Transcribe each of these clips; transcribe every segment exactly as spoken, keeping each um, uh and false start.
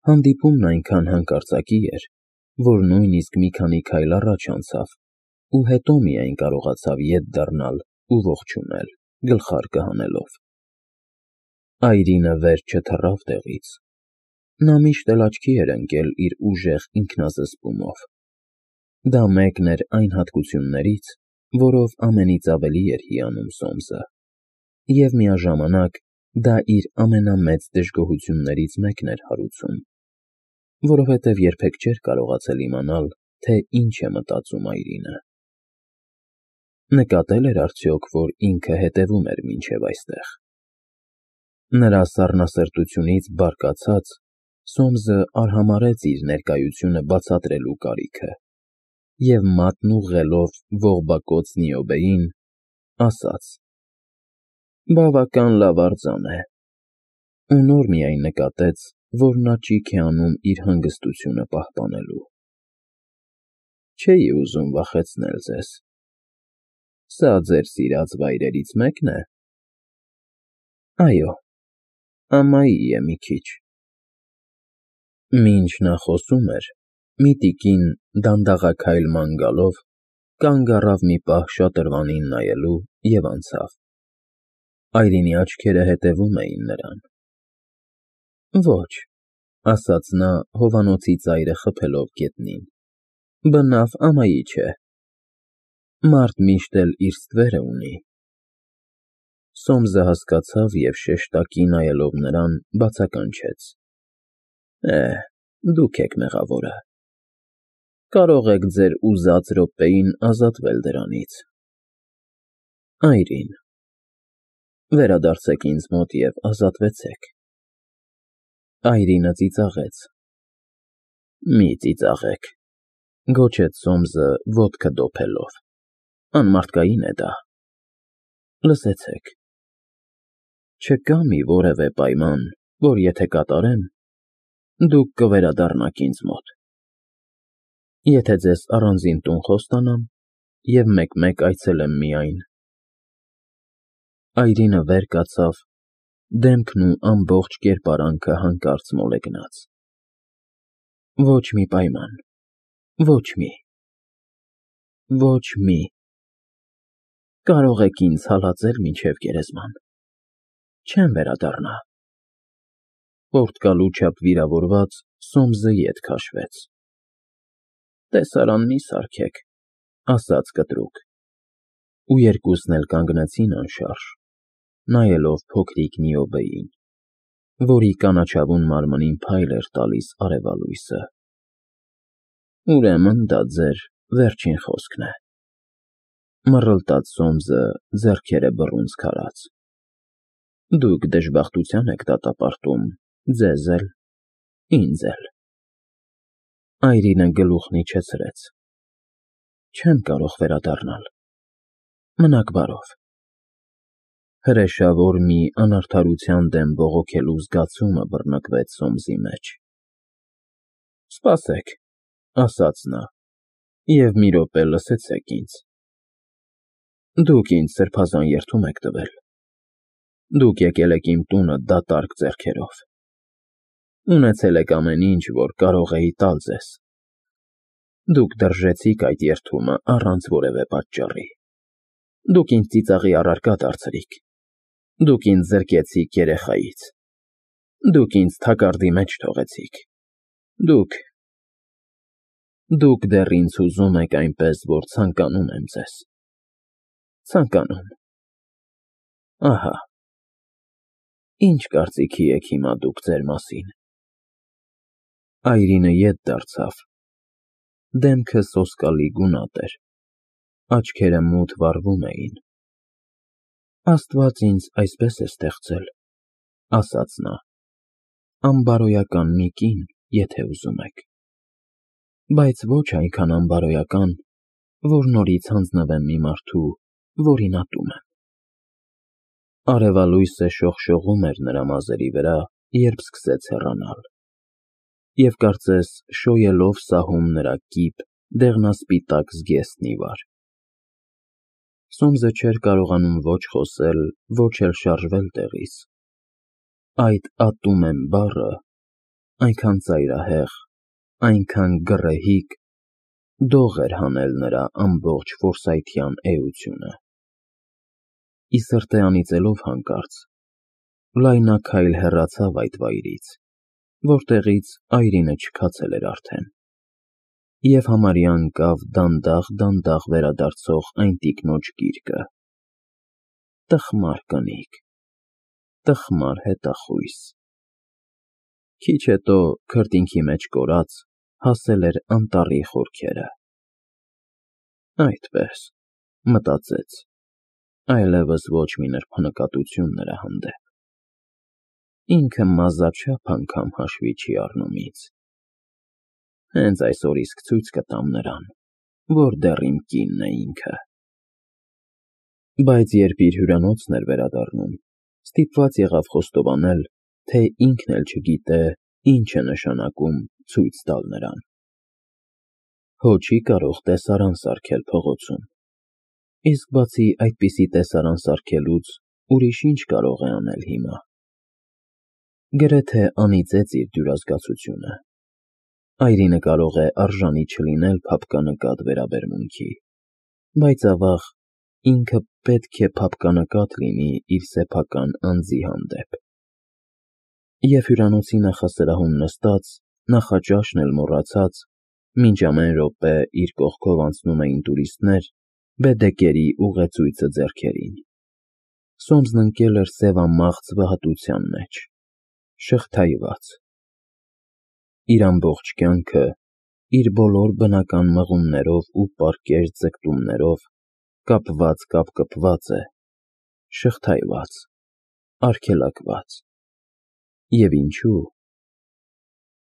Հանդիպումն այնքան հանկարծակի էր, որ նույնիսկ մի քանի քայլ առաջ անցավ ու հետո միայն կարողացավ ետ դառնալ ու ողջունել, գլխարկը հանելով։ Այրինը վեր չթռավ տեղից։ Նա միշտ էլ աչքի էր ընկել իր ուժեղ ինքնազսպումով։ Դա մեկն էր այն հատկություններից, որով ամենից ավելի էր հիանում Սոմսը, և միաժամանակ դա իր ամենամեծ դժգոհություններից մեկն էր հարուցում, որովհետև երբեք չէր կարողացել իմանալ, թե ինչ է մտածում Այրինը։ Նկատել էր արդյոք, որ ինքը հետևում էր մինչև այստեղ։ Նրա սառնասրտությունից բարկացած, Սոմսը արհամարհեց իր ներկայությունը բացատրելու կարիքը և մատն ուղղելով ողբակոծ Նիոբեին, ասաց. «Բավական լավ արձան է», ու նոր միայն նկատեց, որ նա ճիգ է անում իր հանգստությունը պահպանելու։ «Չէի ուզում վախեցնել ձեզ։ Սա ձեր սիրած վայրերից մեկն է»։ «Այո, ամայի է մի քիչ»։ Մինչ նա խոսում էր, մի տիկին, դանդաղաքայլ ման գալով, կանգ առավ մի պահ շատրվանին նայելու և անցավ։ Այրինի աչքերը հետևում էին նրան։ «Ոչ», ասաց նա, հովանոցի ծայրը խփելով գետնին, «բնավ ամայի չէ։ Մարդ միշտ էլ իր ստվերը ունի»։ Սոմսը հասկացավ և շեշտակի նայելով նրան, բացականչեց. «Է, դուք եք մեղավորը։ Կարող եք ձեր ուզած րոպեին ազատվել դրանից»։ «Այրին, վերադարձեք ինձ մոտ և ազատվեցեք»։ Այրինը ծիծաղեց։ «Մի ծիծաղեք», գոչեց Սոմսը ոտքը դոփելով, «անմարդկային է դա»։ «Լսեցեք, չկա մի որևէ պայման, որ եթե կատարեմ, դուք կվերադառնաք ինձ մոտ։ Եթե ձեզ առանձին տուն խոստանամ և մեկ֊մեկ այցելեմ միայն»։ Այրինը վեր կացավ, դեմքն ու ամբողջ կերպարանքը հանկարծ մոլեգնած։ «Ոչ մի պայման, ոչ մի, ոչ մի։ Կարող եք ինձ հալածել մինչև գերեզման, չեմ վերադառնա»։ Պորտկալու չափ վիրավորված, Սոմսը ետ քաշվեց։ «Տեսարան մի սարքեք», ասաց կտրուկ, ու երկուսն էլ կանգնեցին անշարժ, նայելով փոքրիկ Նիոբեին, որի կանաչավուն մարմնին փայլ էր տալիս արևալույսը։ «Ուրեմն դա ձեր վերջին խոսքն է», մռլտաց Սոմսը, ձեռքերը բռունցք արած։ «Դուք դժբախտության եք դատապարտում ձեզ էլ, ինձ էլ»։ Այրինը գլուխն իջեցրեց։ «Չեմ կարող վերադառնալ, մնաք բարով»։ Հրեշավոր մի անարդարության դեմ բողոքելու զգացումը բռնկվեց Սոմսի մեջ։ «Սպասեք», ասաց նա, «և մի րոպե լսեցեք ինձ։ Դուք ինձ սրբազան երդում եք տվել։ Դուք եկել եք իմ տունը դատարկ ձեռքերով։ Ունեցել եք ամեն ինչ, որ կարող էի տալ ձեզ։ Դուք դրժեցիք այդ երդումը առանց որևէ պատճառի։ Դուք ինձ ծիծաղի առարկա դարձրիք։ Դուք ինձ զրկեցիք երեխայից։ Դուք ինձ թակարդի մեջ թողեցիք։ Դուք… Դուք դեռ ինձ հուզում եք այնպես, որ ցանկանում եմ ձեզ։ Ցանկանում… Ահա… Ի՞նչ կարծիքի եք հիմա դուք ձեր մասին»։ Այրինը ետ դարձավ։ Դեմքը սոսկալի գունատ էր, աչքերը մութ վառվում էին։ «Աստված ինձ այսպես է ստեղծել», ասաց նա, «անբարոյական մի կին, եթե ուզում եք, բայց ոչ այնքան անբարոյական, որ նորից հանձնվեմ մի մարդու, որին ատում եմ»։ Արևալույսը շողշողում էր նրա մազերի վրա, երբ սկսեց հեռանալ, և կարծես շոյելով սահում նրա կիպ, դեղնասպիտակ զգեստն ի վար։ Սոմսը չէր կարողանում ոչ խոսել, ոչ էլ շարժվել տեղից։ Այդ «ատում եմ» բառը այնքան ծայրահեղ, այնքան գռեհիկ, դող էր հանել նրա ամբողջ ֆորսայթյան էությունը։ Ի սրտե անիծելով հանկարծ, լայնաքայլ հեռացավ այդ վայրից, որտեղից Այրինը չքացել էր արդեն, և համարյա ընկավ դանդաղ-դանդաղ վերադարձող այն տիկնոջ գիրկը. տխմար կնիկ, տխմար հետախույս։ Քիչ հետո քրտինքի մեջ կորած հասել էր անտառի խորքերը։ Այդպես, մտածեց, այլևս ոչ մի նրբանկատություն նրա հանդեպ։ Ինքը մազաչափ անգամ հաշվի չի առնում ինձ։ Հենց այսօր իսկ ցույց կտամ նրան, որ դեռ իմ կինն է ինքը։ Բայց երբ իր հյուրանոցն էր վերադառնում, ստիպված եղավ խոստովանել, թե ինքն էլ չգիտե ինչ է նշանակում ցույց տալ նրան։ Հո չի կարող տեսարան սարքել փողոցում, իսկ բացի այդպիսի տեսարան սարքելուց ուրիշ ինչ կարող է անել հիմա։ Գրեթե անիծեց իր դյուրազգացությունը։ Այրինը կարող է արժանի չլինել փափկանկատ վերաբերմունքի, բայց ավաղ ինքը պետք է փափկանկատ լինի իր սեփական անձի հանդեպ։ Եվ հյուրանոցի նախասրահում նստած, նախաճաշն էլ մոռացած, մինչ ամեն րոպե իր կողքով անցնում էին տուրիստներ, բեդեկերի ուղեցույցը ձեռքերին, Սոմսն ընկել էր սևամաղձ վհատության մեջ, շղթայված։ Իր ամբողջ կյանքը, իր բոլոր բնական մղումներով ու պարկեշտ ձգտումներով կապված-կապկպված է, շղթայված, արգելակված։ Եվ ինչու՞։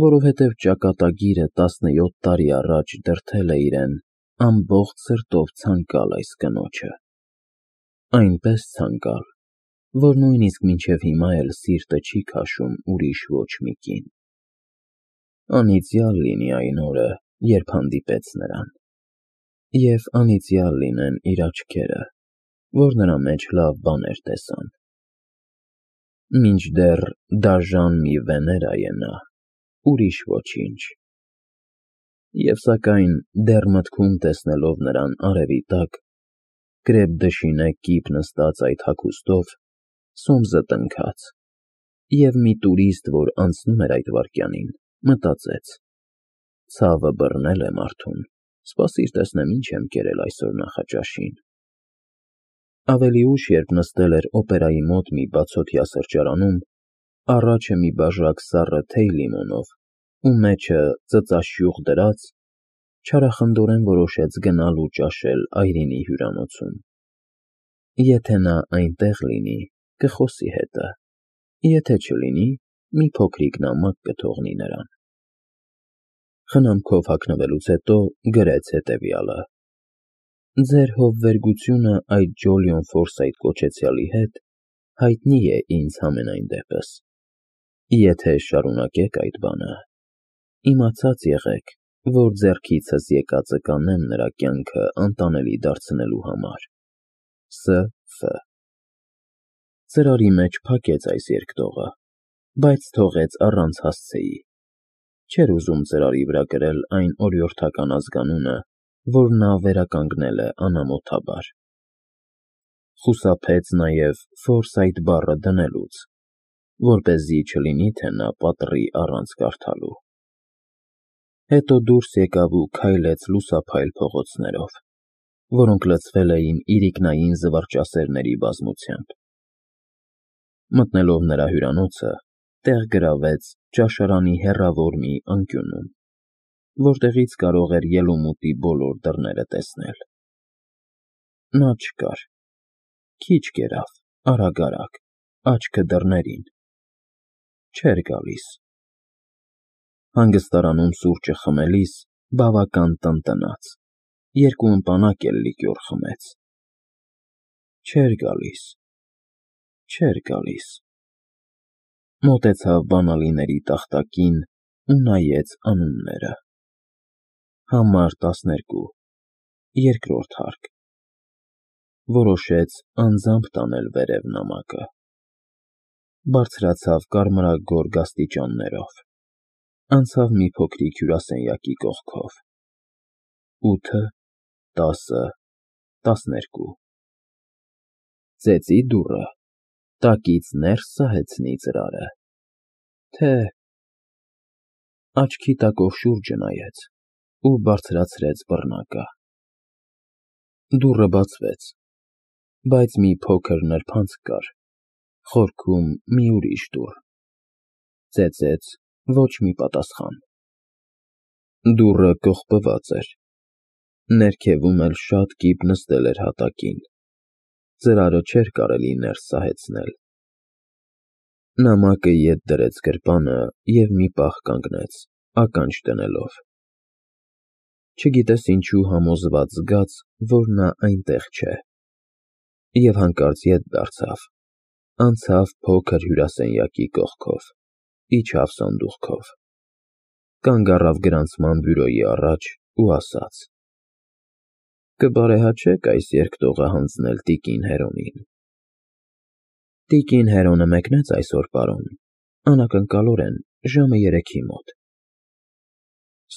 Որովհետև ճակատագիրը տասնյոթ տարի առաջ դրդել է իրեն ամբողջ սրտով ցանկալ այս կնոջը, այնպես ցանկալ, որ նույնիսկ մինչև հիմա էլ սիրտը չի քաշում ուրիշ ոչ մի կին։ Անիծյալ լինի այն օրը, երբ հանդիպեց նրան, և անիծյալ լինեն իր աչքերը, որ նրա մեջ լավ բաներ տեսան։ Մինչդեռ դաժան մի Վեներա է նա, ուրիշ ոչինչ։ Եվ սակայն դեռ մտքում տեսնելով նրան արևի տակ, կրեպ դշինե կիպ նստած այդ հագուստով, Սոմսը տնքաց, և մի տուրիստ, որ անցնում էր այդ վայրկյանին, մտածեց. ցավը բռնել է մարդուն, սպասիր տեսնեմ ինչ եմ կերել այսօր նախաճաշին։ Ավելի ուշ, երբ նստել էր օպերայի մոտ մի բացօթյա սրճարանում, առաջը մի բաժակ սառը թեյ լիմոնով ու մեջը ծծաշյուղ դրած, չարախնդորեն որոշեց գնալ ու ճաշել Այրինի հյուրանոցում։ Եթե նա այնտեղ լինի, կխոսի հետը, եթե չլինի, մի փոքրիկ նամակ կթողնի նրան։ Խնամքով հագնվելուց հետո գրեց հետևյալը. Ձեր հովվերգությունը այդ Ջոլիոն Ֆորսայթ կոչեցյալի հետ հայտնի է ինձ համենայն դեպս։ Եթե շարունակեք այդ բանը, իմացած եղեք, որ ձեռքիցս եկածը կանեմ նրա կյանքը անտանելի դարձնելու համար։ Ս. Ֆ. Ծրարի մեջ փակեց այս երկտողը, բայց թողեց առանց հասցեի։ Չէր ուզում ծրարի վրա գրել այն օրիորդական ազգանունը, որ նա վերականգնել է անամոթաբար։ Խուսափեց նաև Ֆորսայթ բառը դնելուց, որպեսզի չլինի, թե նա պատռի առանց կարդալու։ Հետո դուրս եկավ ու քայլեց լուսափայլ փողոցներով, որոնք լցվել էին իրիկնային զվարճասերների բազմությամբ։ Մտնելով նրա հյուրանոցը, տեղ գրավեց ճաշարանի հեռավոր մի անկյունում, որտեղից կարող էր ելումուտի բոլոր դռները տեսնել։ Նա չկար։ Քիչ կերավ, արագ֊արագ, աչքը դռներին։ Չէր գալիս։ Հանգստարանում սուրճը խմելիս բավական տնտնաց, երկու ըմպանակ էլ լիկյոր խմեց։ Չէր գալիս, չէր գալիս։ Մոտեցավ բանալիների տախտակին ու նայեց անունները։ Համար տասներկու, երկրորդ հարկ։ Որոշեց անձամբ տանել վերև նամակը։ Բարձրացավ կարմրագորգ աստիճաններով։ Անցավ մի փոքրիկ հյուրասենյակի կողքով։ Ութը, տասը, տասներկու։ Ծեծի դուռը, տակից ներս սահեցնի ծրարը, թե… Աչքի տակով շուրջը նայեց ու բարձրացրեց բռնակը։ Դուռը բացվեց, բայց մի փոքր նրբանցք կար, խորքում մի ուրիշ դուռ։ Ծեծեց, ոչ մի պատասխան։ Դուռը կողպված էր, ներքևում էլ շատ կիպ նստել էր հատակին, ծրարը չէր կարելի ներս սահեցնել։ Նամակը ետ դրեց գրպանը և մի պահ կանգնեց, ականջ դնելով։ Չգիտես ինչու համոզված զգաց, որ նա այնտեղ չէ, և հանկարծ ետ դարձավ, անցավ փոքր հյուրասենյակի կողքով, իջավ սանդուղքով, կանգ առավ գրանցման բյուրոյի առաջ ու ասաց. «Կբարեհաճեք այս երկտողը հանձնել տիկին Հերոնին»։ Տիկին Հերոնը մեկնեց այսօր, պարոն, անակնկալորեն, ժամը երեքի մոտ։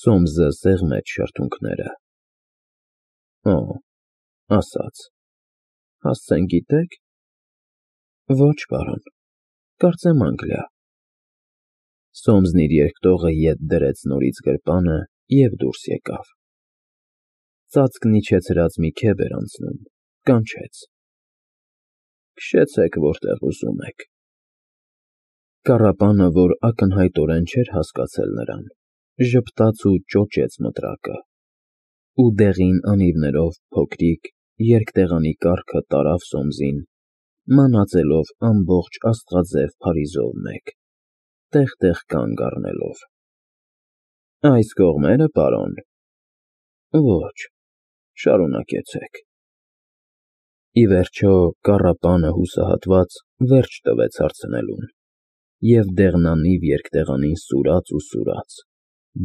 Սոմսը սեղմեց շրթունքները։ Օ, ասաց. Հասցեն գիտե՞ք։ Ոչ, պարոն, կարծեմ Անգլիա։ Սոմսն իր երկտողը ետ դրեց նորից գրպանը և դուրս եկավ։ Ծածկն իջեցրած մի քեֆ էր անցնում, կանչեց. Քշեցեք, որտեղ ուզում եք։ Կառապանը, որ ակնհայտորեն չէր հասկացել նրան, ժպտաց ու ճոճեց մտրակը, ու դեղին անիվներով փոքրիկ երկտեղանի կառքը տարավ Սոմսին, մանածելով ամբողջ աստղաձև փարիզով մեկ, տեղ֊տեղ կանգ առնելով։ Այս կողմերը, պարոն։ Ոչ, շարունակեցեք։ Ի վերջո կառապանը հուսահատված վերջ տվեց հարցնելուն, և դեղնանիվ երկտեղանին սուրաց ու սուրաց,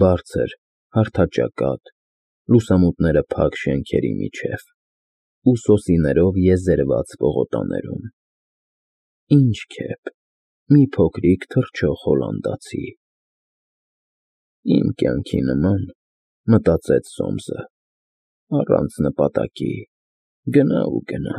բարձր, հարթաճակատ, լուսամուտները փակ շենքերի միջև, ու սոսիներով եզերված պողոտաներում։ Ինչ քեֆ, մի փոքրիկ թռչող հոլանդացի։ Իմ կյանքի նման, մտածեց Սոմսը, առանց նպատակի, գնա ու գնա։